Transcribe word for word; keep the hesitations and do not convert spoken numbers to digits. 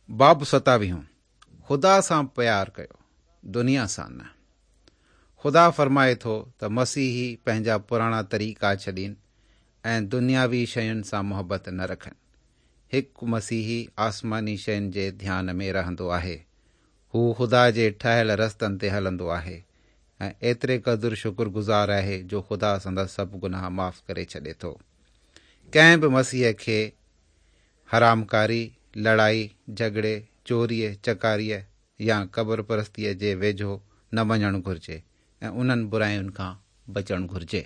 باب ستاويهون، خدا سان پيار ڪيو، دنيا سان نه. خدا فرمائي ٿو ته مسيحي پنهنجا پراڻا طريقا ڇڏين ۽ دنياوي شين سان محبت نه رکن. هڪ مسيحي آسماني شين جي ڌيان ۾ رهندو آهي. هو خدا جي ٺاهيل رستن تي هلندو آهي ۽ ايتري قدر شڪرگذار آهي جو خدا سندس سڀ گناهه معاف ڪري ڇڏي ٿو. ڪنهن به مسيح کي حرامڪاري، لڙائي، جهڳڙي، چوريء، چڪاريء يا قبر پرستيء جي ويجهو نه وڃڻ گهرجي ۽ انهن براين کان بچڻ گهرجي.